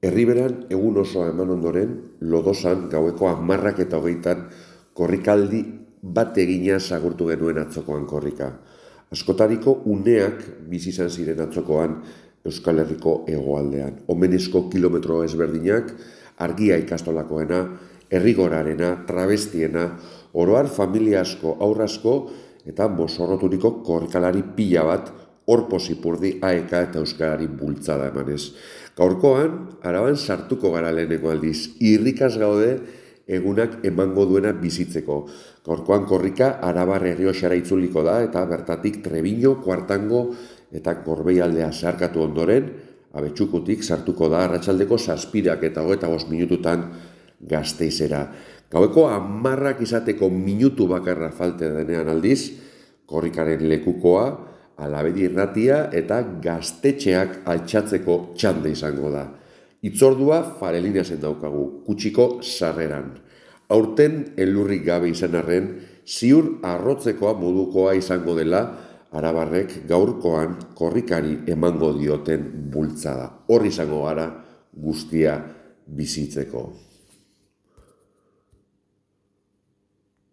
Herriberan egun osoa eman ondoren, Lodosan gaueko 10:20 korrikaldi bat egina agurtu genuen atzokoan korrika. Askotariko uneak bizi izan ziren atzokoan Euskal Herriko hegoaldean. Omenezko kilometro ezberdinak, argia ikastolakoena, herrigorarena, travestiena, oroar familia asko, haur asko eta mozorroturiko korrikalari pila bat hor posipurdi AEK eta Euskarari bultzada emanez. Gaurkoan, Araban sartuko gara leheneko aldiz. Irrikaz gaude egunak emango duena bizitzeko. Gaurkoan korrika Arabar Errioxara itzuliko da eta bertatik Trebiño, Kuartango eta Gorbeialdea zeharkatu ondoren, Abetxukutik sartuko da arratsaldeko 7 eta 25 minututan Gasteizera. Gaueko 10 izateko minutu bakarra falte denean aldiz, korrikaren lekukoa, Alabedi irratia eta gaztetxeak altxatzeko txanda izango da. Itzordua Farelinasen daukagu, Kutxiko sarreran. Aurten elurrik gabe izan arren, ziur arrotzekoa modukoa izango dela Arabarrek gaurkoan korrikari emango dioten bultzada. Hor izango gara guztia bizitzeko.